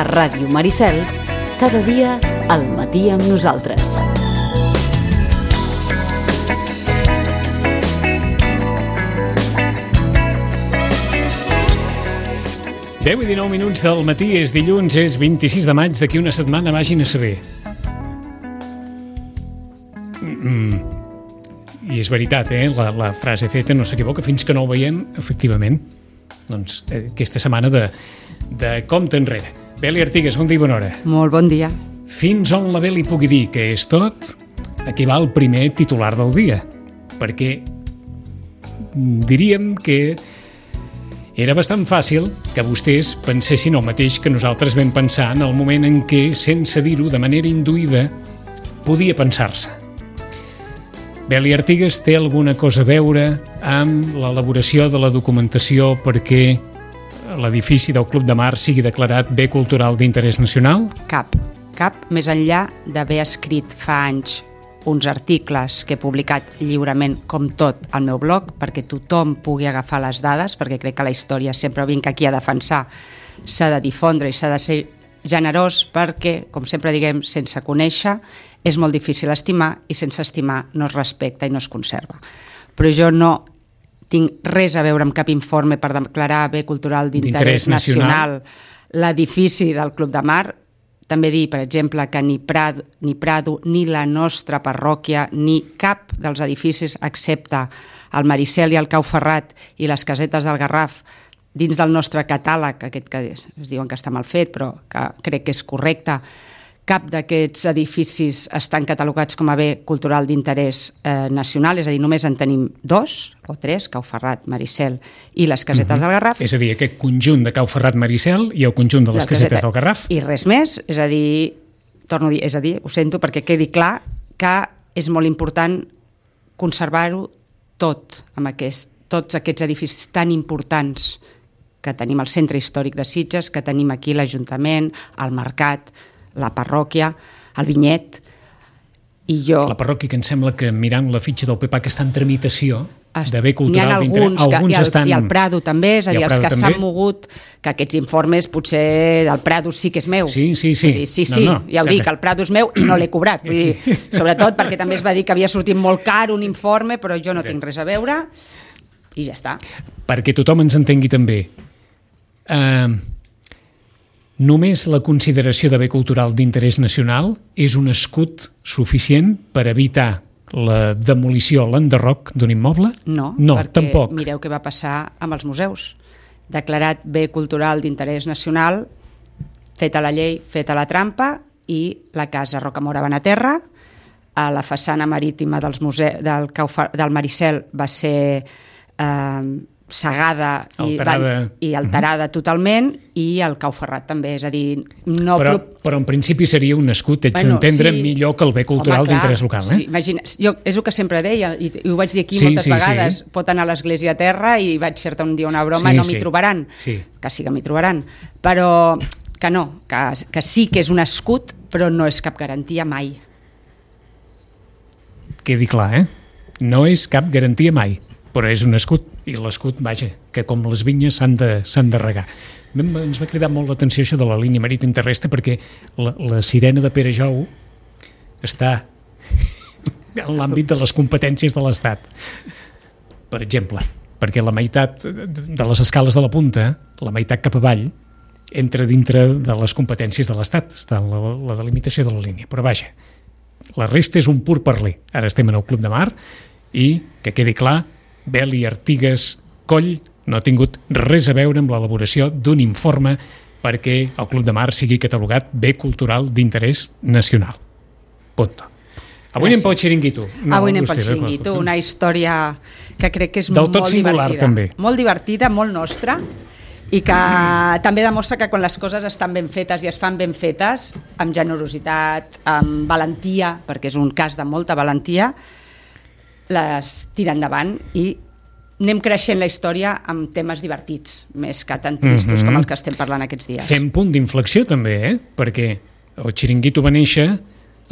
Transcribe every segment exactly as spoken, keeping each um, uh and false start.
A Ràdio Maricel, cada dia al matí amb nosaltres. deu i dinou minuts del matí, és dilluns, és vint-i-sis de maig, d'aquí una setmana vagin a saber. Mm. I és veritat, eh? La, la frase feta no s'equivoca, fins que no ho veiem, efectivament. Doncs eh, aquesta setmana de, de compte enrere. Beli Artigues, bon dia i bona hora. Molt bon dia. Fins on la Beli pugui dir que és tot, aquí va el primer titular del dia. Perquè diríem que era bastant fàcil que vostès pensessin el mateix que nosaltres vam pensar en el moment en què, sense dir-ho de manera induïda, podia pensar-se. Beli Artigues té alguna cosa a veure amb l'elaboració de la documentació perquè l'edifici del Club de Mar sigui declarat bé cultural d'interès nacional? Cap, cap, més enllà d'haver escrit fa anys uns articles que he publicat lliurement, com tot, al meu blog, perquè tothom pugui agafar les dades, perquè crec que la història, sempre vinc aquí a defensar, s'ha de difondre i s'ha de ser generós, perquè, com sempre diguem, sense conèixer és molt difícil estimar i sense estimar no es respecta i no es conserva. Però jo no tinc res a veure amb cap informe per declarar bé cultural d'interès nacional l'edifici del Club de Mar. També dir, per exemple, que ni Prado, ni Prado, ni la nostra parròquia, ni cap dels edificis, excepte el Maricel i el Cau Ferrat i les casetes del Garraf, dins del nostre catàleg, aquest que es diuen que està mal fet, però que crec que és correcte, cap d'aquests edificis estan catalogats com a bé cultural d'interès eh, nacional, és a dir, només en tenim dos o tres, Cau Ferrat, Maricel i les casetes uh-huh. del Garraf. És a dir, aquest conjunt de Cau Ferrat, Maricel i el conjunt de les, les casetes caseta, del Garraf. I res més, és a dir, torno a dir, és a dir, ho sento perquè quedi clar que és molt important conservar-ho tot, amb aquest, tots aquests edificis tan importants que tenim al centre històric de Sitges, que tenim aquí l'Ajuntament, el Mercat, la parròquia, el Vinyet, i jo... La parròquia, que em sembla que mirant la fitxa del P P A que està en tramitació de bé cultural d'interès... N'hi ha alguns, que, i, el, estan... i el Prado també, és a dir, els que s'han mogut, que aquests informes potser del Prado sí que és meu. Sí, sí, sí. Dir, sí, sí, no, no, ja ho dic, el Prado és meu i no l'he cobrat. Vull dir, sobretot perquè també es va dir que havia sortit molt car un informe, però jo no tinc res a veure i ja està. Perquè tothom ens entengui també. Uh, només la consideració de bé cultural d'interès nacional és un escut suficient per evitar la demolició, l'enderroc d'un immoble? No, no perquè tampoc. Mireu què va passar amb els museus. Declarat bé cultural d'interès nacional, feta la llei, feta la trampa, i la casa Rocamora Benaterra, a la façana marítima dels muse- del, Caufa- del Maricel va ser... Eh, segada i alterada, i alterada uh-huh. totalment, i el Cau Ferrat també, és a dir... No però, pro... però en principi seria un escut, ets bueno, d'entendre sí. millor que el bé cultural d'interès local, eh? Sí, imagina, jo, és el que sempre deia, i, i ho vaig dir aquí sí, moltes sí, vegades, sí. Pot anar a l'església a terra i vaig fer-te un dia una broma sí, i no m'hi sí. trobaran, sí. que sí que m'hi trobaran, però que no, que, que sí que és un escut, però no és cap garantia mai. Quedi clar, eh? No és cap garantia mai, però és un escut, i l'escut, vaja, que com les vinyes s'han de, s'han de regar. Ens va cridar molt l'atenció això de la línia marítima terrestre, perquè la, la sirena de Pere Jou està en l'àmbit de les competències de l'Estat. Per exemple, perquè la meitat de les escales de la punta, la meitat cap avall, entra dintre de les competències de l'Estat, està la, la delimitació de la línia. Però vaja, la resta és un pur parler. Ara estem en el Club de Mar i, que quedi clar, Beli Artigues Coll no ha tingut res a veure amb l'elaboració d'un informe perquè el Club de Mar sigui catalogat bé cultural d'interès nacional. Punto. Avui anem pel xiringuito. No, Avui anem pel xiringuito, una història que crec que és del molt tot singular, divertida. També. Molt divertida, molt nostra, i que també demostra que quan les coses estan ben fetes i es fan ben fetes, amb generositat, amb valentia, perquè és un cas de molta valentia, les tira endavant i anem creixent la història amb temes divertits, més que tan tristos mm-hmm. com els que estem parlant aquests dies. Fem punt d'inflexió també, eh? Perquè el xiringuito va néixer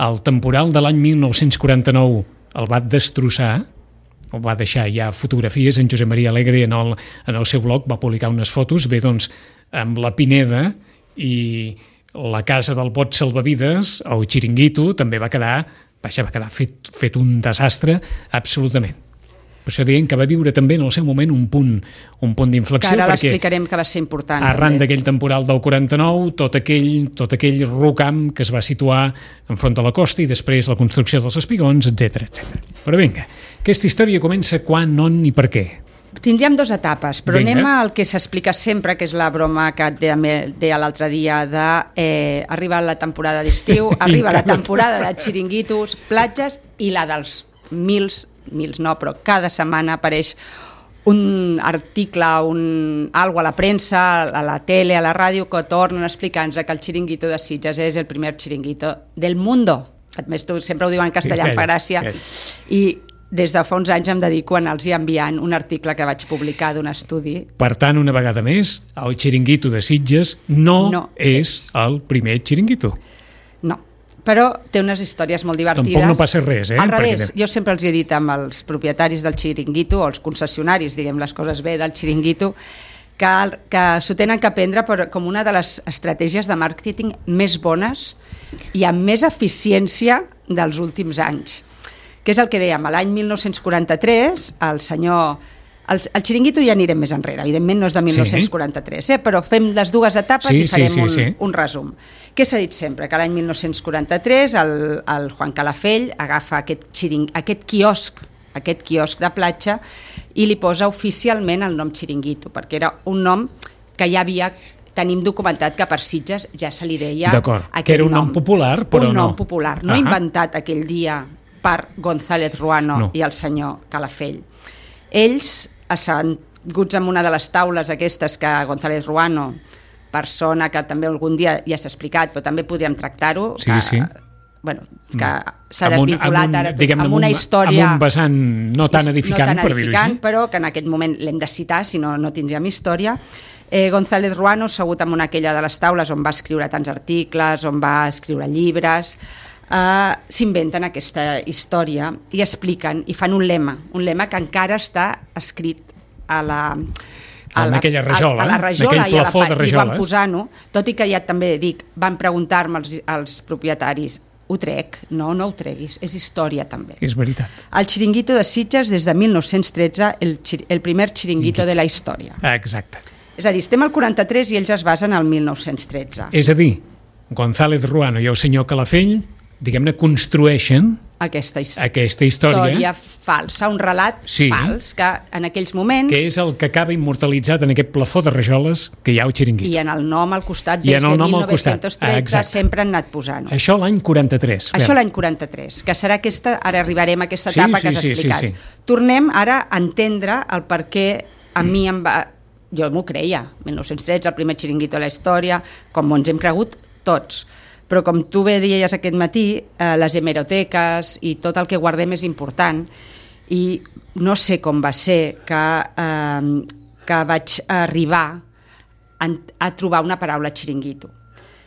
al temporal de l'any mil nou-cents quaranta-nou, el va destrossar, el va deixar ja fotografies, en Josep Maria Alegre en el, en el seu blog va publicar unes fotos, bé doncs amb la Pineda i la casa del bot salvavides, el xiringuito, també va quedar, vaja, va quedar fet, fet un desastre absolutament. Per això dient que va viure també en el seu moment un punt, un punt d'inflexió. Que ara l'explicarem que va ser important. Arran d'aquell temporal del quaranta-nou, tot aquell, tot aquell rocam que es va situar enfront de la costa i després la construcció dels espigons, etcètera, etcètera. Però vinga, aquesta història comença quan, on i per què? Tindríem dues etapes, però Vinga. anem al que s'explica sempre, que és la broma que et deia l'altre dia de eh, arriba la temporada d'estiu, arriba la temporada de xiringuitos, platges i la dels mils, mils no, però cada setmana apareix un article, un, algo a la premsa, a la tele, a la ràdio, que tornen a explicar-nos que el xiringuito de Sitges és el primer xiringuito del mundo. A més, tu sempre ho diuen en castellà, em fa gràcia. I des de fa uns anys em dedico a anar-los enviant un article que vaig publicar d'un estudi. Per tant, una vegada més, el xiringuito de Sitges no, no és el primer xiringuito. No, però té unes històries molt divertides. Tampoc no passa res, eh? Al revés, Perquè... jo sempre els he dit amb els propietaris del xiringuito, o els concessionaris, diguem les coses bé, del xiringuito, que, que s'ho tenen que prendre per, com una de les estratègies de màrqueting més bones i amb més eficiència dels últims anys. Que és el que dèiem, l'any mil nou-cents quaranta-tres, el senyor... El, el xiringuito ja anirem més enrere, evidentment no és de mil nou-cents quaranta-tres, eh? Però fem les dues etapes sí, i farem sí, sí, un, sí. un resum. Què s'ha dit sempre? Que l'any mil nou-cents quaranta-tres el, el Juan Calafell agafa aquest, xiring, aquest quiosc, aquest quiosc de platja i li posa oficialment el nom xiringuito, perquè era un nom que ja havia... Tenim documentat que per Sitges ja se li deia D'acord, que era un nom, nom popular, però un no. nom popular, no uh-huh. inventat aquell dia per González Ruano no. i el senyor Calafell. Ells, asseguts en una de les taules aquestes que González Ruano, persona que també algun dia ja s'ha explicat, però també podríem tractar-ho, sí, que, sí. bueno, que s'ha desvinculat ara amb, amb una història... Amb un vessant no tan edificant, no tan per dir-ho així. Però que en aquest moment l'hem de citar, si no, no tindríem història. Eh, González Ruano, assegut en una aquella de les taules on va escriure tants articles, on va escriure llibres... Uh, s'inventen aquesta història i expliquen i fan un lema, un lema que encara està escrit a la, a en la, aquella rajola, a, a la rajola i, a la, de i van posar-ho, tot i que ja també dic, van preguntar-me els, els propietaris, ho trec? No, no ho treguis, és història també. És veritat. El xiringuito de Sitges des de mil nou-cents tretze, el, el primer xiringuito de la història. Exacte. És a dir, estem al quaranta-tres i ells es basen al mil nou-cents tretze. És a dir, González Ruano i el senyor Calafell diguem-ne, construeixen aquesta, his... aquesta història. història falsa, un relat sí, fals, que en aquells moments... Que és el que acaba immortalitzat en aquest plafó de rajoles que hi ha al xiringuito. I en el nom al costat, des de mil nou-cents tretze, ah, sempre han anat posant-ho. Això l'any quaranta-tres. Això l'any quaranta-tres, que serà aquesta... Ara arribarem a aquesta etapa sí, sí, que has explicat. Sí, sí, sí. Tornem ara a entendre el per què a mi em va... Jo m'ho creia, mil nou-cents tretze, el primer xiringuito de la història, com ens hem cregut tots. Però com tu bé deies aquest matí, eh, les hemeroteques i tot el que guardem és important i no sé com va ser que, eh, que vaig arribar a, a trobar una paraula xiringuito.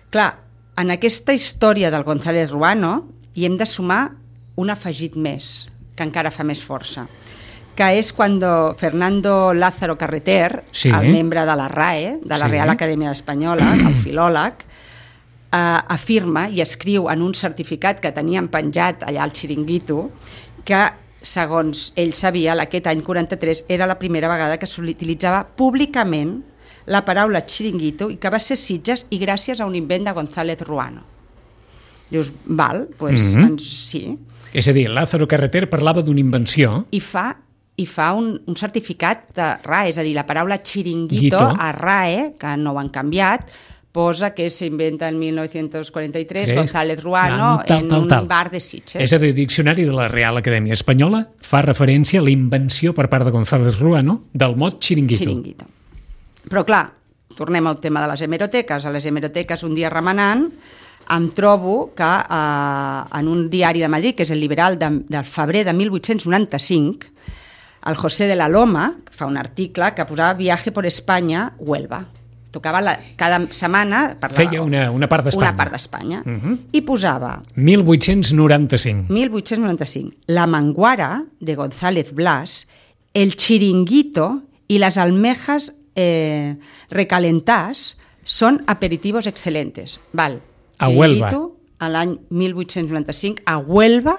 Clar, en aquesta història del González Ruano hi hem de sumar un afegit més, que encara fa més força, que és quan Fernando Lázaro Carreter, sí. el membre de la R A E, de la sí. Real Acadèmia Espanyola, el filòleg, Uh, afirma i escriu en un certificat que tenien penjat allà al xiringuito que, segons ell sabia, aquest any quaranta-tres era la primera vegada que s'utilitzava públicament la paraula xiringuito i que va ser Sitges i gràcies a un invent de González Ruano. Dius, val, doncs pues, mm-hmm. doncs, sí. És a dir, Lázaro Carreter parlava d'una invenció... I fa, i fa un, un certificat de R A E, és a dir, la paraula xiringuito Guito. A R A E, que no ho han canviat, posa que s'inventa en mil nou-cents quaranta-tres Creus? González Ruano no, tal, en tal, tal. un bar de Sitges. És a dir, el diccionari de la Real Acadèmia Espanyola fa referència a la invenció per part de González Ruano del mot xiringuito. Xiringuito. Però clar, tornem al tema de les hemeroteques. A les hemeroteques, un dia remenant, em trobo que eh, en un diari de Madrid, que és el Liberal de, del febrer de mil vuit-cents noranta-cinc, el José de la Loma fa un article que posava Viaje por España, Huelva. Tocava la, cada setmana... Parlava, feia una, una part d'Espanya. Una part d'Espanya. Uh-huh. I posava... mil vuit-cents noranta-cinc. mil vuit-cents noranta-cinc. La manguara, de González Blas, el chiringuito y las almejas eh, recalentás són aperitivos excelentes. Val. A Huelva. A l'any mil vuit-cents noranta-cinc, a Huelva,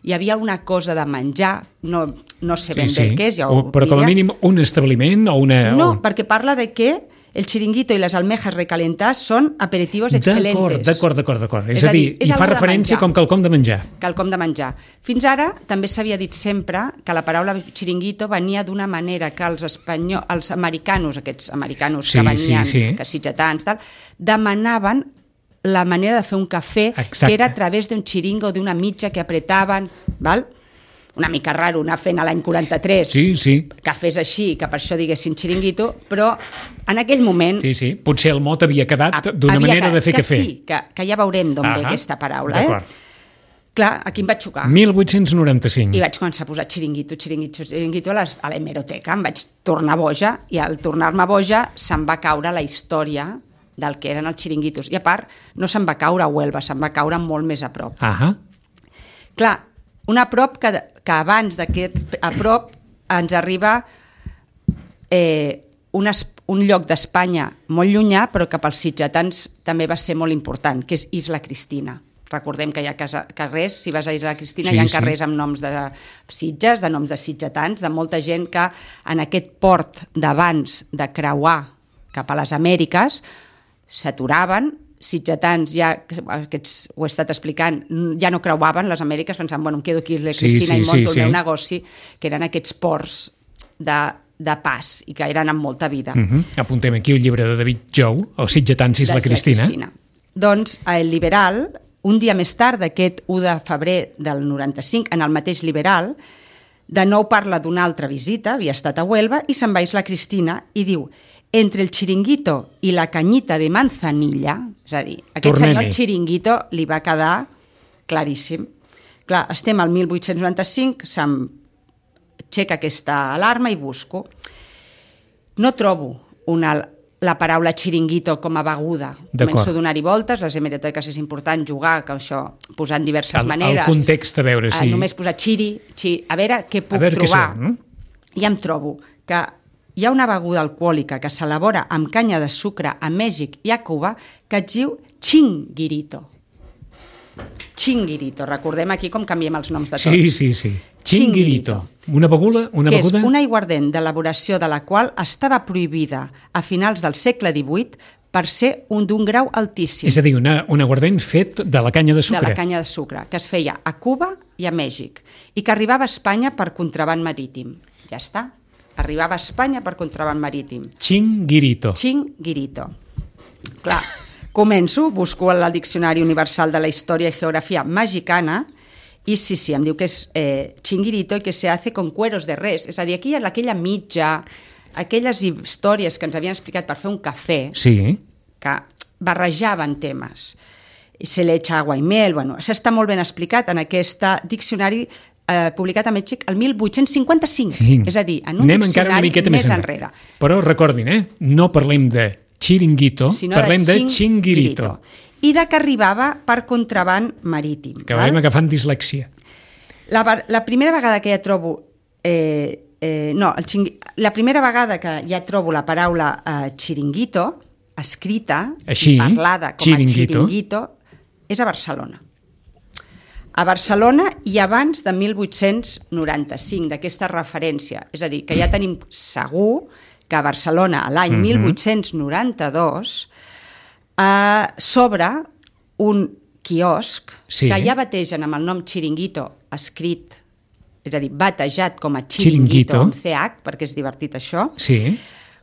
hi havia una cosa de menjar, no, no sé ben sí, bé sí. què és, ja o, però com a mínim un establiment o una... No, o... perquè parla de que el chiringuito i les almejas recalentades són aperitivos excelentes. D'acord, d'acord, d'acord. És, és a dir, és hi fa referència com quelcom de menjar. Quelcom de menjar. Fins ara també s'havia dit sempre que la paraula chiringuito venia d'una manera que els espanyols, els americanos, aquests americanos sí, que venien, sí, sí. que sitgetans, tal, demanaven la manera de fer un cafè, exacte. Que era a través d'un xiringo o d'una mitja que apretaven, val? Una mica raro anar fent a l'any quaranta-tres sí, sí. cafès així, que per això diguessin xiringuito, però en aquell moment... Sí, sí, potser el mot havia quedat d'una manera que, de fer que cafè. Sí, que, que ja veurem d'on ve aquesta paraula. D'acord. Eh? Clar, aquí em vaig xocar. mil vuit-cents noranta-cinc. I vaig començar a posar xiringuito, xiringuito, xiringuito a, les, a l'hemeroteca. Em vaig tornar boja, i al tornar-me boja se'm va caure la història del que eren els xiringuitos. I a part, no se'm va caure a Huelva, se'm va caure molt més a prop. Ahà. Clar, un a prop que, que abans d'aquest a prop ens arriba eh, un, es, un lloc d'Espanya molt llunyà, però que pels sitgetans també va ser molt important, que és Isla Cristina. Recordem que hi ha casa, carrers, si vas a Isla Cristina, sí, hi ha carrers sí. amb noms de sitges, de noms de sitgetans, de molta gent que en aquest port d'abans de creuar cap a les Amèriques s'aturaven, sitgetans, ja, aquests, ho he estat explicant, ja no creuaven les Amèriques, pensant, bueno, em quedo aquí a la Cristina sí, sí, i monto sí, el meu sí. negoci, que eren aquests ports de, de pas i que eren amb molta vida. Uh -huh. Apuntem aquí el llibre de David Jou, el Sitgetans i la Cristina. Cristina. Doncs el Liberal, un dia més tard, d'aquest u de febrer del noranta-cinc, en el mateix Liberal, de nou parla d'una altra visita, havia estat a Huelva, i se'n va a Isla Cristina i diu: entre el chiringuito i la canyita de manzanilla, és a dir, aquest Tornem-hi. senyor chiringuito li va quedar claríssim. Clar, estem al mil vuit-cents noranta-cinc, se'm aixeca aquesta alarma i busco. No trobo una, la paraula chiringuito com a beguda. Començo a donar-hi voltes, les hemeroteques és important jugar, que això, posant diverses el, maneres. El context, a veure, sí. Només posar xiri, xiri, a veure què puc a veure trobar. Què són, no? I em trobo que hi ha una beguda alcohòlica que s'elabora amb canya de sucre a Mèxic i a Cuba que es diu chinguirito. Chinguirito. Recordem aquí com canviem els noms de tots. Sí, sí, sí. Chinguirito. Una beguda? Una que beguda? és un aiguardent d'elaboració de la qual estava prohibida a finals del segle divuit per ser un d'un grau altíssim. És a dir, una, un aiguardent fet de la canya de sucre. De la canya de sucre, que es feia a Cuba i a Mèxic, i que arribava a Espanya per contraban marítim. Ja està. Arribava a Espanya per contraban marítim. Chinguirito. Chinguirito. Clar, començo, busco al Diccionari Universal de la Història i Geografia Mexicana i sí, sí, em diu que és eh, chinguirito i que se hace con cueros de res. És a dir, aquí hi ha aquella mitja, aquelles històries que ens havien explicat per fer un cafè, sí. que barrejaven temes. I se le echa agua i mel, bueno, això està molt ben explicat en aquest diccionari Eh, publicat a Mèxic el mil vuit-cents cinquanta-cinc, sí. És a dir, en un Anem diccionari més, més enrere. Però recordin, eh? no parlem de chiringuito, sinó parlem de, de chinguirito. I de que arribava per contraban marítim. Que vam agafant dislèxia. La, la primera vegada que ja trobo... Eh, eh, no, el xingui, la primera vegada que ja trobo la paraula eh, chiringuito, escrita, així, parlada com chiringuito. a chiringuito, és a Barcelona. A Barcelona i abans de mil vuit-cents noranta-cinc, d'aquesta referència. És a dir, que ja tenim segur que a Barcelona, a l'any uh-huh. mil vuit-cents noranta-dos, eh, s'obre un quiosc sí. que ja bategen amb el nom Chiringuito escrit, és a dir, batejat com a Chiringuito, Chiringuito. amb C H, perquè és divertit això, sí.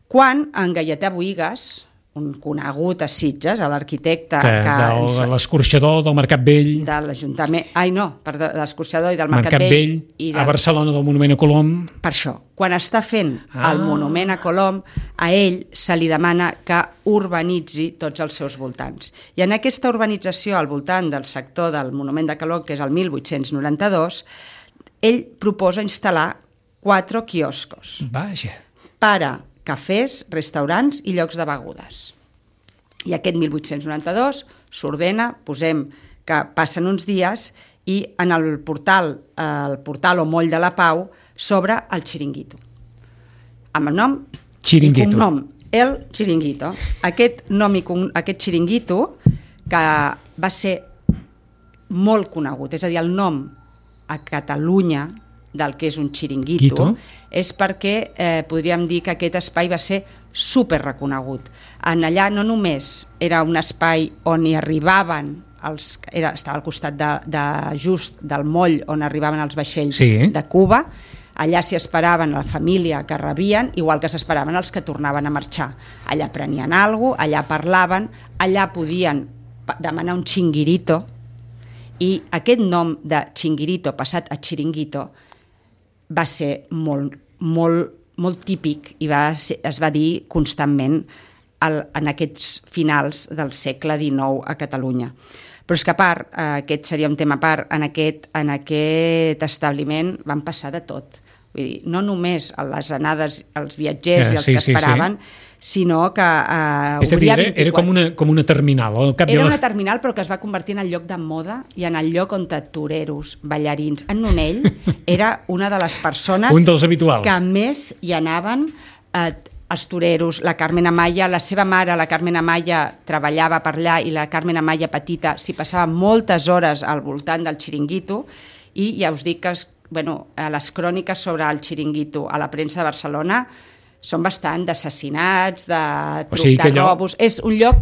quan en Gaietà Boïgues, un conegut a Sitges, a l'arquitecte... De, que del, ens... l'escorxador del Mercat Vell... De l'Ajuntament... Ai, no, perdó, de l'escorxador i del Mercat, Mercat Vell, Vell i de... a Barcelona del Monument a Colom... Per això, quan està fent ah. el Monument a Colom, a ell se li demana que urbanitzi tots els seus voltants. I en aquesta urbanització al voltant del sector del Monument de Colom, que és el mil vuit-cents noranta-dos, ell proposa instal·lar quatre quioscos. Vaja. Per a cafès, restaurants i llocs de begudes. I aquest mil vuit-cents noranta-dos s'ordena, posem que passen uns dies i en el portal, el portal o moll de la Pau s'obre el Chiringuito. Amb el nom Chiringuito. i cognom El Chiringuito. Aquest nom i aquest Chiringuito, que va ser molt conegut, és a dir, el nom a Catalunya del que és un xiringuito, Quito. És perquè eh, podríem dir que aquest espai va ser super reconegut. En allà no només era un espai on hi arribaven, els, era, estava al costat de, de just del moll on arribaven els vaixells sí. de Cuba, allà s'hi esperaven la família que rebien, igual que s'esperaven els que tornaven a marxar. Allà prenien alguna cosa, allà parlaven, allà podien demanar un xinguirito, i aquest nom de xinguirito passat a xiringuito va ser molt, molt, molt típic i va ser, es va dir constantment el, en aquests finals del segle dinou a Catalunya. Però és que a part, eh, aquest seria un tema a part, en aquest, en aquest establiment van passar de tot. Vull dir, no només a les anades, els viatgers eh, i els sí, que esperaven, sí, sí. sinó que eh, és a dir, era, era com, una, com una terminal. Al cap era la... una terminal, però que es va convertir en el lloc de moda i en el lloc on toreros, ballarins. En Nonell era una de les persones un dels habituals. Que més hi anaven eh, els toreros, la Carmen Amaya, la seva mare, la Carmen Amaya, treballava per allà i la Carmen Amaya petita s'hi passava moltes hores al voltant del xiringuito i ja us dic que es, bueno, les cròniques sobre el xiringuito a la premsa de Barcelona són bastant d'assassinats, de truc o sigui de allò... robos. És un lloc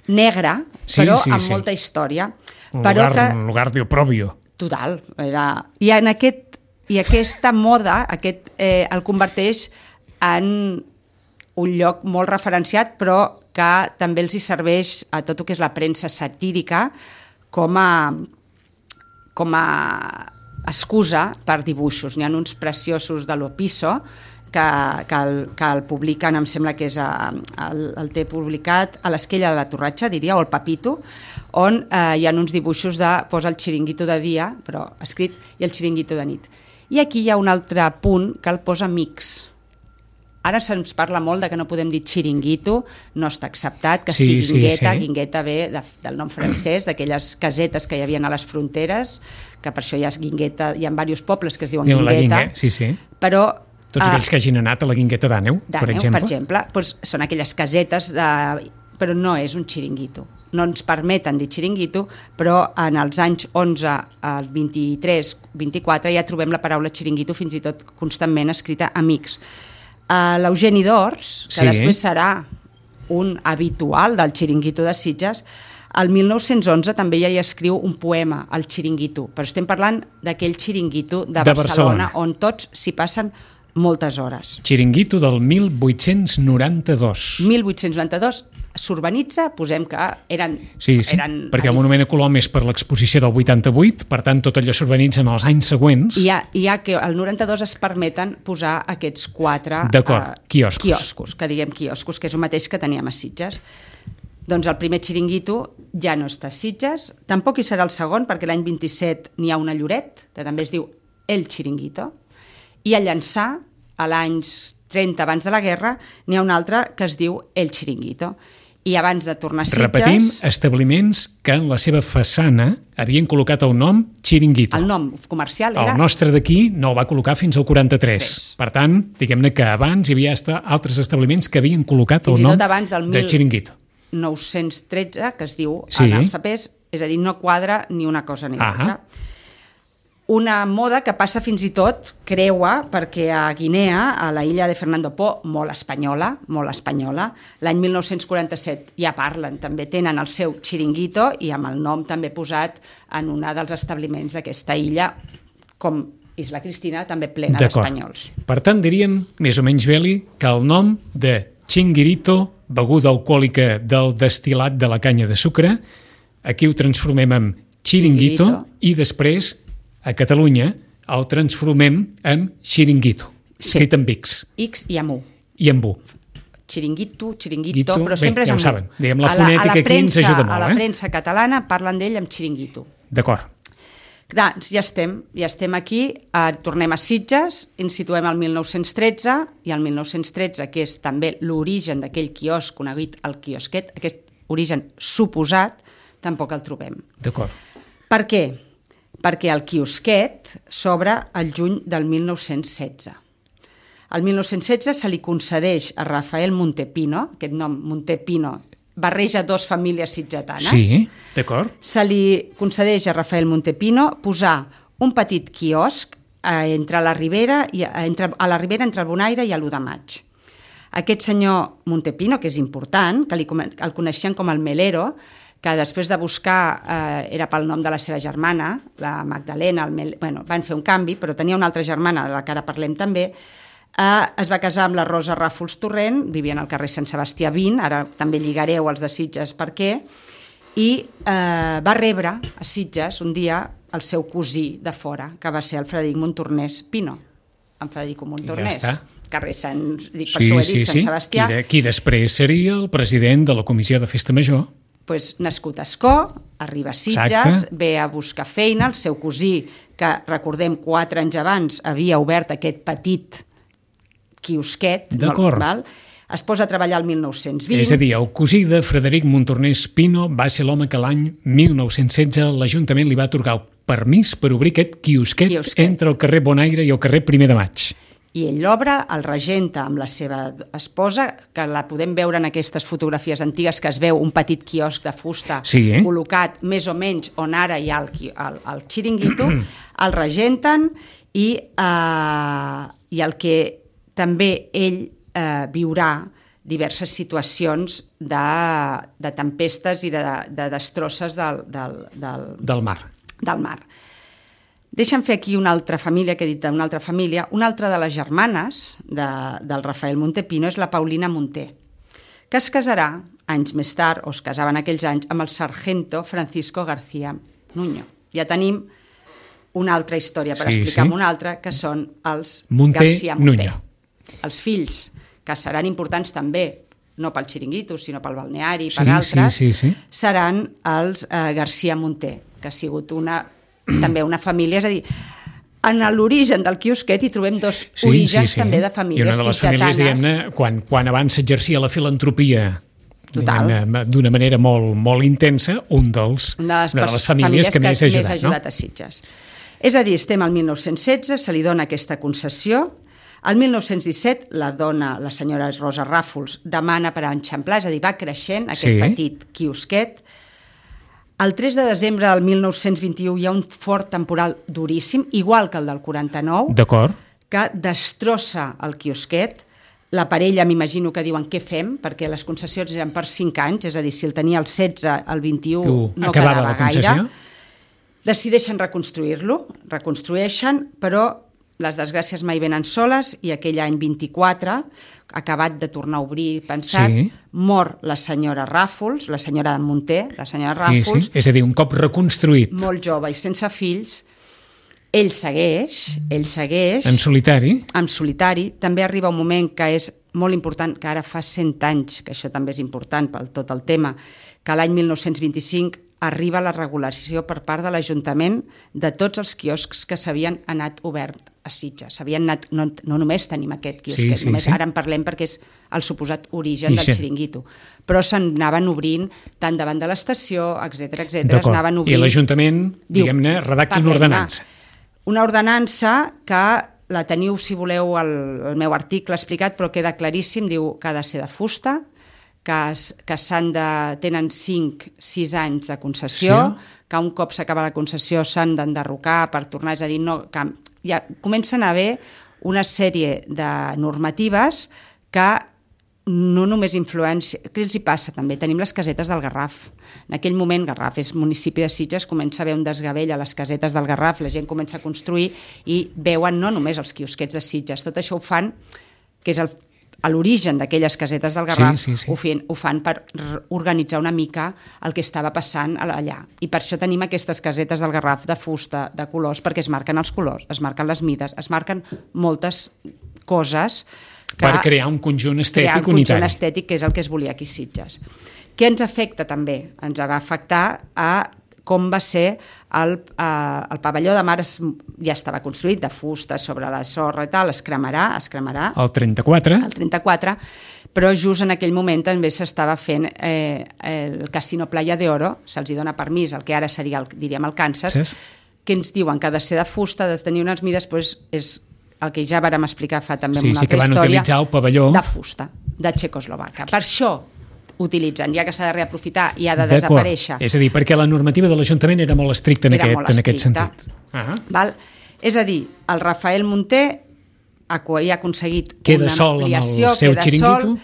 negre, sí, però sí, amb sí. molta història. Un però lugar, que... un lugar de oprobio. Total. Era... I, en aquest, I aquesta moda aquest, eh, el converteix en un lloc molt referenciat, però que també els hi serveix a tot el que és la premsa satírica com a, com a excusa per dibuixos. N'hi ha uns preciosos de l'Opiso que, que, el, que el publiquen, em sembla que és a, el, el té publicat a l'Esquella de la Torratxa, diria, o el Papito, on eh, hi ha uns dibuixos de posa el xiringuito de dia, però escrit, i el xiringuito de nit. I aquí hi ha un altre punt que el posa mix. Ara se'ns parla molt de que no podem dir xiringuito, no està acceptat, que sí, sí guingueta, sí, sí. Guingueta ve de, del nom francès, d'aquelles casetes que hi havia a les fronteres, que per això hi ha guingueta, hi ha diversos pobles que es diuen guingueta, guingueta sí, sí. però... Tots aquells uh, que hagin anat a la guingueta d'Àneu, per exemple. per exemple, doncs són aquelles casetes, de, però no és un xiringuito. No ens permeten dir xiringuito, però en els anys onze, al vint-i-tres, vint-i-quatre, ja trobem la paraula xiringuito fins i tot constantment escrita a mix. Uh, L'Eugeni d'Ors, que sí. després serà un habitual del xiringuito de Sitges, el mil nou-cents onze també ja hi escriu un poema, el Xiringuito, però estem parlant d'aquell xiringuito de, de Barcelona, Barcelona, on tots s'hi passen moltes hores. Xiringuito del mil vuit-cents noranta-dos. mil vuit-cents noranta-dos s'urbanitza, posem que eren... Sí, sí, eren perquè el Monument a Colom és per l'exposició del vuitanta-vuit, per tant tot allò s'urbanitza en els anys següents. I hi ha, hi ha que al noranta-dos es permeten posar aquests quatre D'acord, uh, quioscos. quioscos, que diguem quioscos, que és el mateix que teníem a Sitges. Doncs el primer xiringuito ja no està a Sitges, tampoc hi serà el segon, perquè l'any vint-i-set n'hi ha una a Lloret, que també es diu El Xiringuito, i a Llançà, a l'any trenta abans de la guerra, n'hi ha un altre que es diu El Xiringuito. I abans de tornar a Sitges... Repetim, establiments que en la seva façana havien col·locat el nom Xiringuito. El nom comercial era... El nostre d'aquí no el va col·locar fins al quaranta-tres. Tres. Per tant, diguem-ne que abans hi havia altres establiments que havien col·locat el nom de Xiringuito. nou-cents tretze, que es diu sí. en els papers, és a dir, no quadra ni una cosa ni l'altra. Una moda que passa fins i tot, creua, perquè a Guinea, a la illa de Fernando Po, molt espanyola, molt espanyola, l'any mil nou-cents quaranta-set ja parlen, també tenen el seu xiringuito i amb el nom també posat en un dels establiments d'aquesta illa, com Isla Cristina, també plena d'espanyols. Per tant, diríem, més o menys, Beli, que el nom de Chinguirito, beguda alcohòlica del destil·lat de la canya de sucre, aquí ho transformem en Chiringuito, Chiringuito. I després, a Catalunya, el transformem en Xiringuito, sí. Escrit amb X. X i amb U. I amb U. Xiringuito, Xiringuito, Guito, però sempre bé, és amb ja U. Saben. Diguem, la fonètica a la, a la aquí premsa, ens ajuda molt. A la eh? premsa catalana parlen d'ell amb Xiringuito. D'acord. Doncs ja estem, ja estem aquí, eh, tornem a Sitges, ens situem al mil nou-cents tretze, i al mil nou-cents tretze, que és també l'origen d'aquell quiosc conegut el quiosquet, aquest origen suposat, tampoc el trobem. D'acord. Per què? Perquè el quiosquet s'obre el juny del mil nou-cents setze. El mil nou-cents setze se li concedeix a Rafael Montepino, aquest nom Montepino barreja dos famílies sitgetanes. Sí, d'acord. Se li concedeix a Rafael Montepino posar un petit quiosc eh, entre la Ribera i, entre, a la Ribera entre el Bonaire i l'u de maig. Aquest senyor Montepino, que és important, que li, el coneixien com el Melero, que després de buscar eh, era pel nom de la seva germana, la Magdalena, el Mel... bueno, van fer un canvi, però tenia una altra germana, de la que ara parlem també. Eh, es va casar amb la Rosa Ràfols Torrent, vivien al carrer Sant Sebastià vint, ara també lligareu els de Sitges per què, i eh, va rebre a Sitges un dia el seu cosí de fora, que va ser el Frederic Montornès Pino, en Frederico Montornès. Ja està. Carrer Sant, dic, per sí, això ho he dit, sí, Sant sí. Sebastià. Qui, de, qui després seria el president de la Comissió de Festa Major. Pues, nascut a Escó, arriba a Sitges, exacte, ve a buscar feina, el seu cosí, que recordem quatre anys abans havia obert aquest petit quiosquet, val? Es posa a treballar el mil nou-cents vint. És a dir, el cosí de Frederic Montornès Pino va ser l'home que l'any mil nou-cents setze l'Ajuntament li va atorgar el permís per obrir aquest quiosquet, quiosquet entre el carrer Bonaire i el carrer Primer de Maig. I ell l'obre, el regenta amb la seva esposa, que la podem veure en aquestes fotografies antigues, que es veu un petit quiosc de fusta sí, eh? col·locat més o menys on ara hi ha el, el, el xiringuito, el regenten i, eh, i el que també ell eh, viurà diverses situacions de, de tempestes i de, de destrosses del, del, del, del mar. Del mar. Deixa'm fer aquí una altra família, que he dit d'una altra família. Una altra de les germanes de, del Rafael Montepino és la Paulina Monter, que es casarà anys més tard, o es casava en aquells anys, amb el sargento Francisco García Nuño. Ja tenim una altra història per sí, explicar sí. una altra, que són els Monter, García Monter. Nuño. Els fills, que seran importants també, no pel xiringuito, sinó pel balneari, sí, per altres, sí, sí, sí. seran els eh, García Monter, que ha sigut una, també una família, és a dir, en l'origen del quiosquet hi trobem dos sí, orígens sí, sí. també de famílies sitgetanes. I una de les famílies, diguem-ne, quan, quan abans s'exercia la filantropia d'una manera molt, molt intensa, un dels, una de les, una de les famílies, famílies que, que més ha ajudat, més ha ajudat no? a Sitges. És a dir, estem al mil nou-cents setze, se li dona aquesta concessió. El mil nou-cents disset, la dona, la senyora Rosa Ràfols, demana per enxamplar, és a dir, va creixent aquest sí. petit quiosquet. El tres de desembre del mil nou-cents vint-i-u hi ha un fort temporal duríssim, igual que el del quaranta-nou, que destrossa el quiosquet. La parella, m'imagino que diuen què fem, perquè les concessions eren per cinc anys, és a dir, si el tenia el setze, el vint-i-u uh, no quedava gaire. Decideixen reconstruir-lo, reconstrueixen, però les desgràcies mai venen soles i aquell any vint-i-quatre, acabat de tornar a obrir, pensat, sí. mor la senyora Ràfols, la senyora de Monter, la senyora Ràfols. Sí, sí. És a dir, un cop reconstruït. Molt jove i sense fills. Ell segueix, ell segueix... En solitari. En solitari. També arriba un moment que és molt important, que ara fa cent anys, que això també és important per tot el tema, que l'any mil nou-cents vint-i-cinc arriba la regulació per part de l'Ajuntament de tots els quioscs que s'havien anat obert a Sitges. S'havien anat, no, no només tenim aquest quiosquet, sí, sí, només sí. ara en parlem perquè és el suposat origen I del sí. xiringuito, però s'anaven obrint tant davant de l'estació, etcètera, etcètera. I l'Ajuntament, diguem-ne, redacta una ordenança. Una ordenança que la teniu, si voleu, al, al meu article explicat, però queda claríssim, diu que ha de ser de fusta, que, que s'han de, tenen cinc sis anys de concessió, sí. que un cop s'acaba la concessió s'han d'enderrocar per tornar, és a dir, no, que ja comencen a haver una sèrie de normatives que no només influència... Què els hi passa també? Tenim les casetes del Garraf. En aquell moment, Garraf és municipi de Sitges, comença a haver un desgavell a les casetes del Garraf, la gent comença a construir i veuen no només els quiosquets de Sitges, tot això ho fan, que és el a l'origen d'aquelles casetes del Garraf, sí, sí, sí. Ho, fan, ho fan per organitzar una mica el que estava passant allà. I per això tenim aquestes casetes del Garraf de fusta, de colors, perquè es marquen els colors, es marquen les mides, es marquen moltes coses que per crear un conjunt estètic crear un unitari. conjunt estètic, que és el que es volia aquí a Sitges. Què ens afecta també? Ens va afectar a com va ser el, eh, el pavelló de mar, es, ja estava construït de fusta sobre la sorra i tal, es cremarà, es cremarà. El trenta-quatre. El trenta-quatre, però just en aquell moment també s'estava fent eh, el Casino Playa de Oro, se'ls dona permís, el que ara seria, el, diríem, el Kansas, sí. que ens diuen que ha de ser de fusta, ha de tenir unes mides, doncs és el que ja vàrem explicar fa també sí, una sí, altra història, utilitzar el pavelló de fusta, de Txecoslovaca. Per això utilitzen, ja que s'ha de reaprofitar i ha de desaparèixer. És a dir, perquè la normativa de l'Ajuntament era molt estricta en, era aquest, molt en aquest estricta. sentit. Uh-huh. Val? És a dir, el Rafael Munté ha aconseguit queda una sol ampliació, amb el seu queda xiringuito. sol,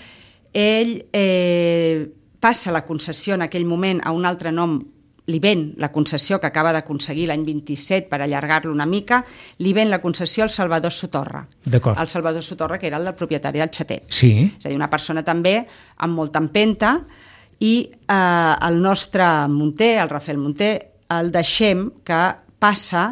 ell eh, passa la concessió en aquell moment a un altre nom, li ven la concessió que acaba d'aconseguir l'any vint-i-set per allargar-lo una mica, li ven la concessió al Salvador Sotorra. D'acord. El Salvador Sotorra, que era el del propietari del Xatet. Sí. És a dir, una persona també amb molta empenta, i eh, el nostre Munté, el Rafael Munté, el deixem que passa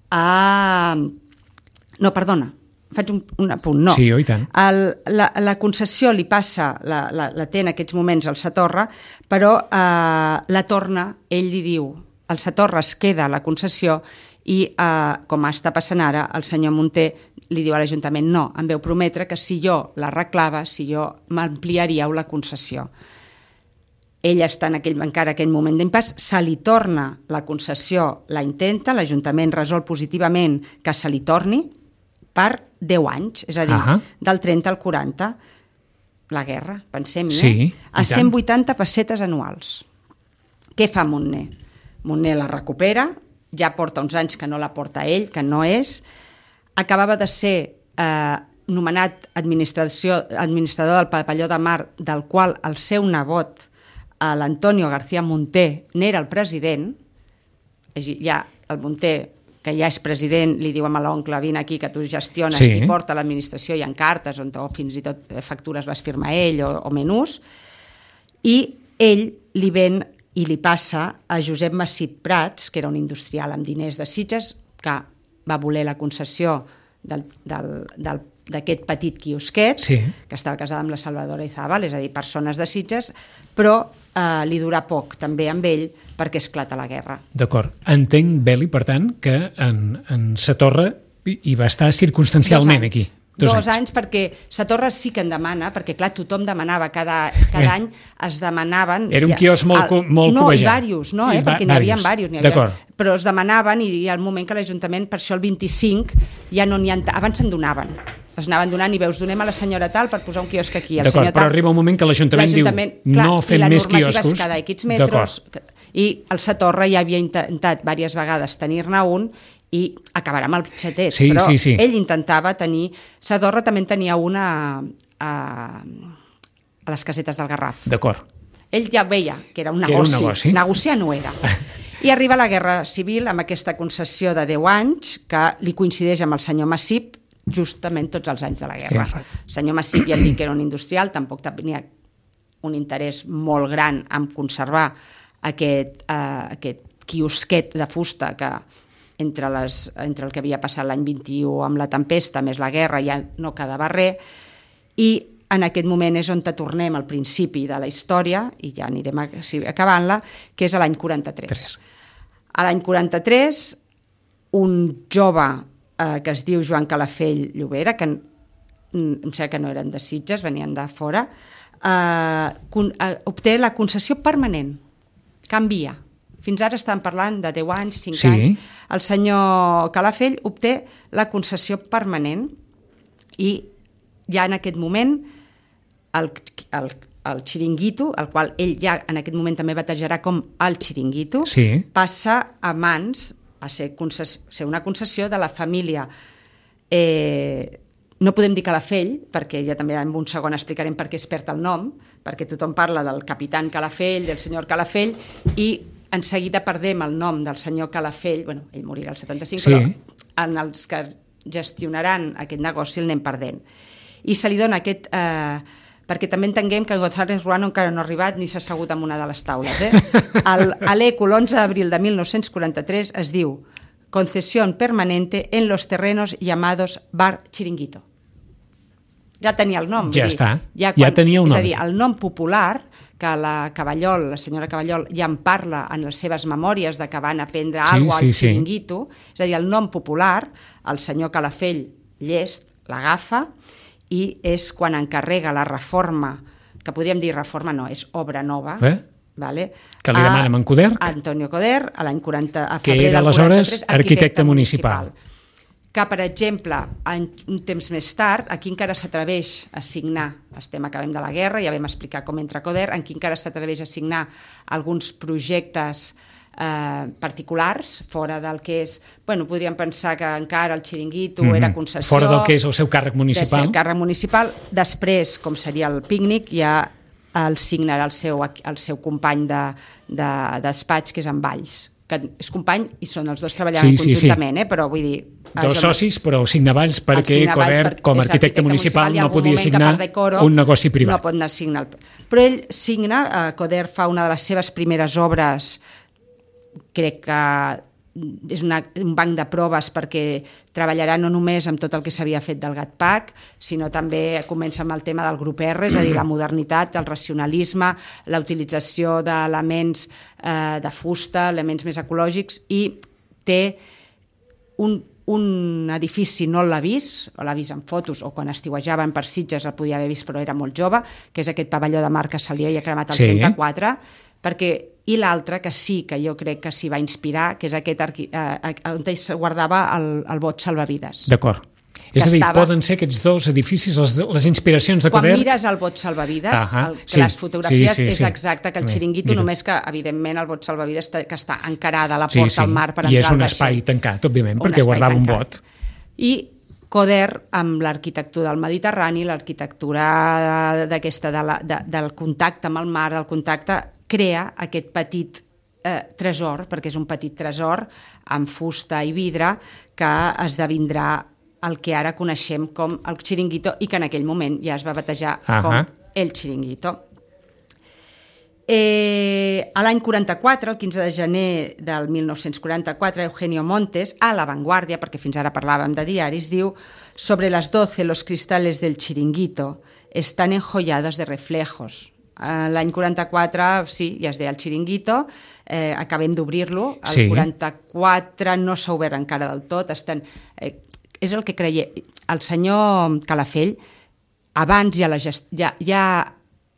a... No, perdona, faig un, un apunt, no. Sí, oh, i tant. El, la, la concessió li passa, la, la, la té en aquests moments al Satorra, però eh, la torna, ell li diu, el Satorra es queda a la concessió i, eh, com està passant ara, el senyor Munté li diu a l'Ajuntament, no, em veu prometre que si jo l'arreglava, si jo m'ampliaríeu la concessió. Ell està en aquell, encara aquell moment d'impàs, se li torna la concessió, la intenta, l'Ajuntament resol positivament que se li torni per deu anys, és a dir, uh-huh. del trenta al quaranta, la guerra, pensem-hi, sí, eh? a cent vuitanta pessetes anuals. Què fa Montner? Montner la recupera, ja porta uns anys que no la porta ell, que no és, acabava de ser eh, nomenat administrador del pavelló de mar, del qual el seu nebot, l'Antonio García Munté, n'era el president, ja el Munté, que ja és president, li diu a l'oncle, vine aquí que tu gestiones, sí. i porta l'administració, hi ha cartes on o fins i tot factures les firma ell o, o menús, i ell li ven i li passa a Josep Massip Prats, que era un industrial amb diners de Sitges, que va voler la concessió del, del, del, d'aquest petit quiosquet, sí. que estava casada amb la Salvadora Izábal, és a dir, persones de Sitges, però eh, li durà poc també amb ell perquè esclata la guerra. D'acord. Entenc, Beli, per tant, que en, en Satorra hi va estar circumstancialment aquí. Dos, Dos anys. anys, perquè Satorra sí que en demana, perquè clar, tothom demanava, cada, cada eh. any es demanaven... Era un quiosc molt, el, molt no, cobejat. No, i diversos, no, eh, I perquè n'hi havia diversos, però es demanaven i hi ha el moment que l'Ajuntament, per això el vint-i-cinc, ja no n'hi ha... Abans se'n donaven. Es anaven donant i veus, donem a la senyora tal per posar un quiosc aquí. D'acord, però arriba un moment que l'Ajuntament diu clar, no fem més quioscos. I la normativa és cada X metres, i el Satorra ja havia intentat diverses vegades tenir-ne un i acabarà amb el Xatet, sí, però sí, sí. ell intentava tenir... Satorra també en tenia una a, a les casetes del Garraf. D'acord. Ell ja veia que era un que negoci. Era un negoci. Negociar no era. I arriba la Guerra Civil amb aquesta concessió de deu anys que li coincideix amb el senyor Massip justament tots els anys de la guerra. El senyor Massip ja dic que era un industrial, tampoc tenia un interès molt gran en conservar aquest, eh, aquest quiosquet de fusta que entre, les, entre el que havia passat l'any vint-i-u amb la tempesta més la guerra ja no quedava res, i en aquest moment és on tornem al principi de la història, i ja anirem acabant-la, que és l'any quaranta-tres. Tres. A l'any quaranta-tres, un jove eh, que es diu Joan Calafell Llobera, que em sembla que no eren de Sitges, venien de fora, eh, con, eh, obté la concessió permanent, canvia. Fins ara estan parlant de deu anys, cinc sí. anys. El senyor Calafell obté la concessió permanent i ja en aquest moment el, el, el xiringuito, el qual ell ja en aquest moment també batejarà com el xiringuito, sí. passa a mans a ser, concess, ser una concessió de la família. Eh, no podem dir Calafell, perquè ja també en un segon explicarem per què es perd el nom, perquè tothom parla del capitán Calafell, del senyor Calafell, i en seguida perdem el nom del senyor Calafell, bueno, ell morirà al setanta-cinc, sí. però en els que gestionaran aquest negoci el anem perdent. I se li dona aquest... Eh, perquè també entenguem que González Ruano encara no ha arribat ni s'ha assegut en una de les taules. Eh? A l'Eco, l'onze d'abril de mil nou-cents quaranta-tres, es diu concesión permanente en los terrenos llamados Bar Chiringuito. Ja tenia el nom. Ja dir, està, ja, quan, ja tenia un nom. És a dir, el nom popular, que la Caballol, la senyora Caballol, ja en parla en les seves memòries de que van aprendre sí, alguna cosa sí, al Chiringuito, sí. és a dir, el nom popular, el senyor Calafell Llest l'agafa, i és quan encarrega la reforma, que podríem dir reforma, no, és obra nova, eh? vale? que li demanen en Coderch, a Antonio Coderch, a l'any quaranta, a que febrer era del aleshores quaranta-tres, arquitecte, arquitecte municipal. municipal. que, per exemple, en un temps més tard, aquí encara s'atreveix a signar, estem acabem de la guerra, ja vam explicar com entra Coder, aquí encara s'atreveix a signar alguns projectes eh, particulars, fora del que és... Bueno, podríem pensar que encara el xiringuito mm-hmm. era concessió... Fora del que és el seu càrrec municipal. El càrrec municipal. Després, com seria el pícnic, ja el signarà el seu, el seu company de, de, de despatx, que és en Valls, que és company i són els dos treballant sí, conjuntament, sí, sí. eh? Però vull dir... Dos socis, però signar Valls perquè Coder, com a arquitecte municipal, no podia signar decoro, un negoci privat. No pot anar a signar. Però ell signa, eh, Coder fa una de les seves primeres obres, crec que és una, un banc de proves perquè treballarà no només amb tot el que s'havia fet del GatPac, sinó també comença amb el tema del grup R, és a dir, la modernitat, el racionalisme, la utilització d'elements eh, de fusta, elements més ecològics, i té un, un edifici, no l'ha vist, o l'ha vist en fotos, o quan estiuejaven per Sitges el podia haver vist però era molt jove, que és aquest pavelló de Marc que se li havia cremat el sí. trenta-quatre, perquè i l'altre, que sí, que jo crec que s'hi va inspirar, que és aquest arqui... eh, on es guardava el, el bot salvavides. D'acord. És a dir, estava... poden ser aquests dos edificis, les, les inspiracions de Coder... Quan mires el bot salvavides, uh-huh. el, que sí, les fotografies sí, sí, sí. és exacte que el xiringuito, només que, evidentment, el bot salvavides que està encarada a la porta sí, sí. al mar per entrar I és un espai tancat, òbviament, un perquè guardava tancat. Un bot. I Coder, amb l'arquitectura del Mediterrani, l'arquitectura d'aquesta, de la, de, del contacte amb el mar, del contacte, crea aquest petit eh, tresor, perquè és un petit tresor amb fusta i vidre que esdevindrà el que ara coneixem com el xiringuito i que en aquell moment ja es va batejar uh-huh. com el xiringuito. Eh, a l'any quaranta-quatre, el quinze de gener del mil nou-cents quaranta-quatre, Eugenio Montes, a La Vanguardia, perquè fins ara parlàvem de diaris, diu: «Sobre las doce los cristales del chiringuito están enjollados de reflejos». L'any quaranta-quatre, sí, ja es deia el xiringuito, eh, acabem d'obrir-lo, el sí. quaranta-quatre no s'ha obert encara del tot, estan, eh, és el que creia, el senyor Calafell, abans ja, la gest... ja, ja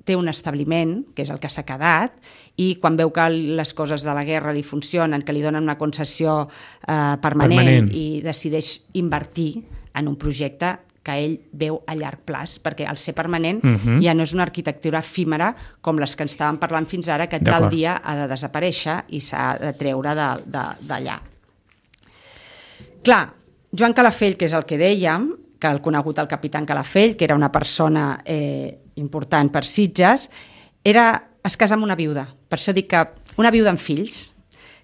té un establiment, que és el que s'ha quedat, i quan veu que les coses de la guerra li funcionen, que li donen una concessió eh, permanent, permanent i decideix invertir en un projecte que ell veu a llarg plaç, perquè al ser permanent uh-huh. ja no és una arquitectura efímera com les que ens estàvem parlant fins ara, que tal dia ha de desaparèixer i s'ha de treure d'allà. Clar, Joan Calafell, que és el que dèiem, que el conegut el capitán Calafell, que era una persona eh, important per Sitges, era, es casa amb una viuda, per això dic que una viuda amb fills,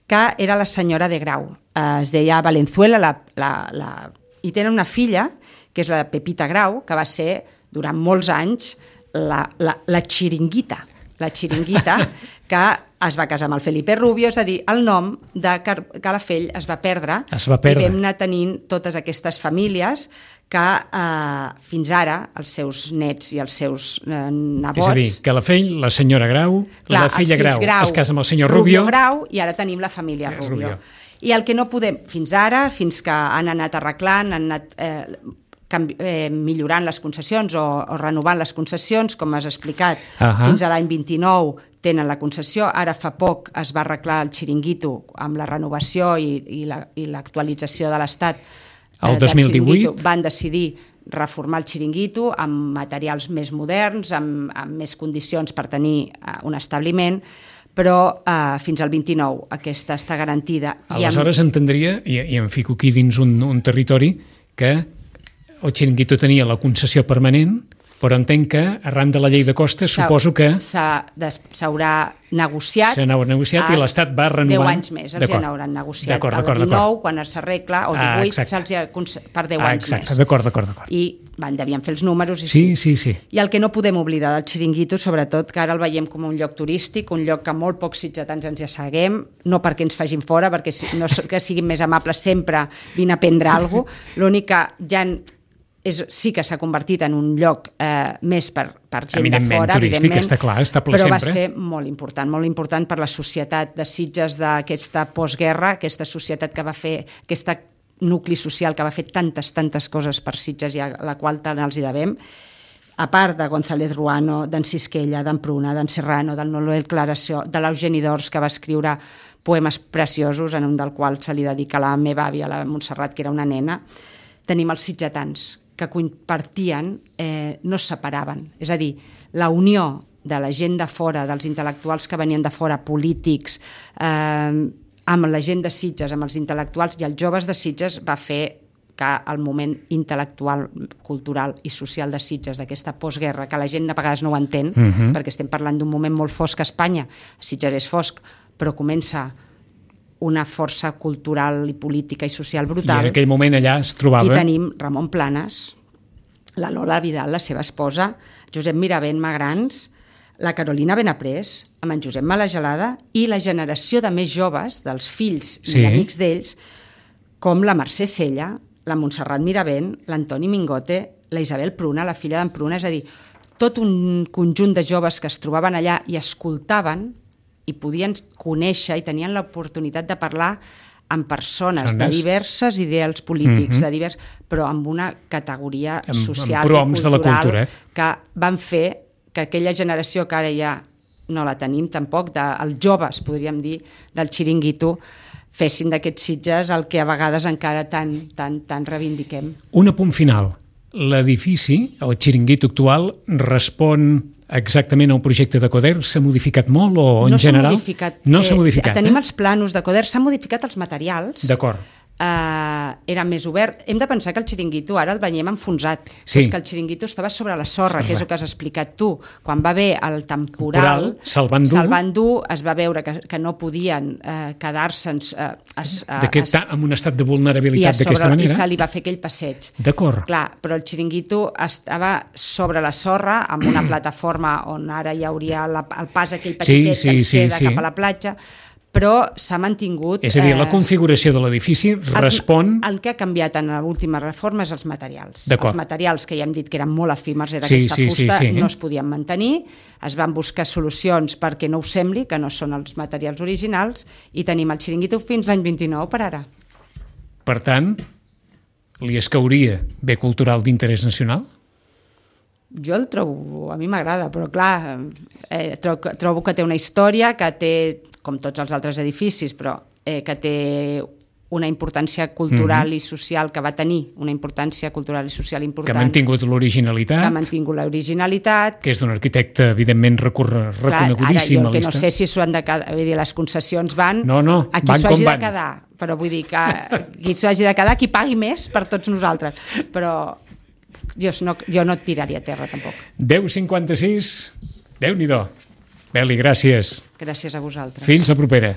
que era la senyora de Grau, eh, es deia Valenzuela, la, la, la... i tenen una filla, que és la Pepita Grau, que va ser durant molts anys la, la, la xiringuita, la xiringuita, que es va casar amb el Felipe Rubio, és a dir, el nom de Calafell es va perdre, es va perdre. I vam anar tenint totes aquestes famílies que eh, fins ara els seus nets i els seus eh, nebots... És a dir, Calafell, la senyora Grau, clar, la filla Grau, Grau es casa amb el senyor Rubio... Rubio Grau, i ara tenim la família Rubio. Rubio. I el que no podem, fins ara, fins que han anat arreglant, han anat... Eh, Canvi, eh, millorant les concessions o, o renovant les concessions, com has explicat, uh-huh. fins a l'any vint-i-nou tenen la concessió, ara fa poc es va arreglar el xiringuito amb la renovació i, i, la, i l'actualització de l'Estat. El eh, dos mil divuit van decidir reformar el xiringuito amb materials més moderns, amb, amb més condicions per tenir uh, un establiment, però uh, fins al vint-i-nou aquesta està garantida. Aleshores amb... entendria, i, i em fico aquí dins un, un territori, que el xiringuito tenia la concessió permanent, però entenc que arran de la llei de costes suposo que... S'haurà negociat... S'ha negociat i l'Estat va renovant... deu anys més els hi n'hauran negociat. D'acord, d'acord, el dinou, quan s'arregla, o divuit, ah, se'ls ha per deu ah, anys exacte. més. D'acord, d'acord, d'acord. I van, devien fer els números. I sí, sí, sí. I el que no podem oblidar del xiringuito, sobretot, que ara el veiem com un lloc turístic, un lloc que molt pocs sitgetans ens hi asseguem, no perquè ens facin fora, perquè no que siguin més amables sempre, vine a prendre alguna cosa, l'únic que ja... És, sí que s'ha convertit en un lloc eh, més per, per gent de fora, turístic, està clar, està ple però sempre. Va ser molt important, molt important per la societat de Sitges d'aquesta postguerra, aquesta societat que va fer, aquesta nucli social que va fer tantes, tantes coses per Sitges i a la qual tant els hi devem, a part de González Ruano, d'en Sisquella, d'en Pruna, d'en Serrano, del Noel Claració, de l'Eugeni d'Ors, que va escriure poemes preciosos, en un del qual se li dedica a la meva àvia, la Montserrat, que era una nena. tenim els sitgetans, que compartien, eh, no es separaven. És a dir, la unió de la gent de fora, dels intel·lectuals que venien de fora, polítics, eh, amb la gent de Sitges, amb els intel·lectuals i els joves de Sitges, va fer que el moment intel·lectual, cultural i social de Sitges, d'aquesta postguerra, que la gent a vegades no ho entén, uh-huh. perquè estem parlant d'un moment molt fosc a Espanya, Sitges és fosc, però comença una força cultural i política i social brutal. I en aquell moment allà es trobava... Aquí tenim Ramon Planes, la Lola Vidal, la seva esposa, Josep Miravent Magrans, la Carolina Benaprés, amb en Josep Malagelada, i la generació de més joves, dels fills sí. i amics d'ells, com la Mercè Sella, la Montserrat Miravent, l'Antoni Mingote, la Isabel Pruna, la filla d'en Pruna, és a dir, tot un conjunt de joves que es trobaven allà i escoltaven i podien conèixer i tenien l'oportunitat de parlar amb persones Sones. de diverses ideals polítics, mm-hmm. de divers, però amb una categoria amb, social amb i cultural de la cultura, eh? que van fer que aquella generació que ara ja no la tenim tampoc, dels joves, podríem dir, del xiringuito, fessin d'aquests Sitges el que a vegades encara tan, tan, tan reivindiquem. Un apunt final. L'edifici, el xiringuito actual, respon exactament al projecte de Coder? S'ha modificat molt o en no general? Modificat. No s'ha modificat. Eh, tenim eh? els planos de Coder, s'han modificat els materials. D'acord. Uh, era més obert. Hem de pensar que el xiringuito ara el veiem enfonsat. Sí. És que el xiringuito estava sobre la sorra, que és el que has explicat tu. Quan va haver el temporal, se'l van dur, se'l van dur, es va veure que, que no podien uh, quedar-se'n uh, uh, en un estat de vulnerabilitat d'aquesta manera. I se li va fer aquell passeig. D'acord. Clar, però el xiringuito estava sobre la sorra, amb una plataforma on ara hi hauria la, el pas aquell petitet sí, sí, que ens queda sí, sí. cap a la platja, però s'ha mantingut... És a dir, la configuració de l'edifici respon... El que ha canviat en l'última reforma és els materials. Els materials que ja hem dit que eren molt efímers, era sí, aquesta sí, fusta, sí, sí. no es podien mantenir, es van buscar solucions perquè no ho sembli, que no són els materials originals, i tenim el xiringuito fins l'any vint-i-nou per ara. Per tant, li escauria bé cultural d'interès nacional? Jo el trobo, a mi m'agrada, però clar, eh, trobo, trobo que té una història, que té, com tots els altres edificis, però eh, que té una importància cultural mm-hmm. i social, que va tenir una importància cultural i social important. Que ha mantingut l'originalitat. Que ha mantingut l'originalitat. Que és d'un arquitecte, evidentment, recor- reconegudíssim. Clar, ara jo que no sé si s'ho han de quedar, vull dir, les concessions van, no, no, a qui van s'ho hagi com de quedar, però vull dir que qui s'ho hagi de quedar, qui pagui més per tots nosaltres, però jo no, jo no et tiraria a terra tampoc. deu cinquanta-sis, Déu-n'hi-do. Beli, gràcies. Gràcies a vosaltres. Fins la propera.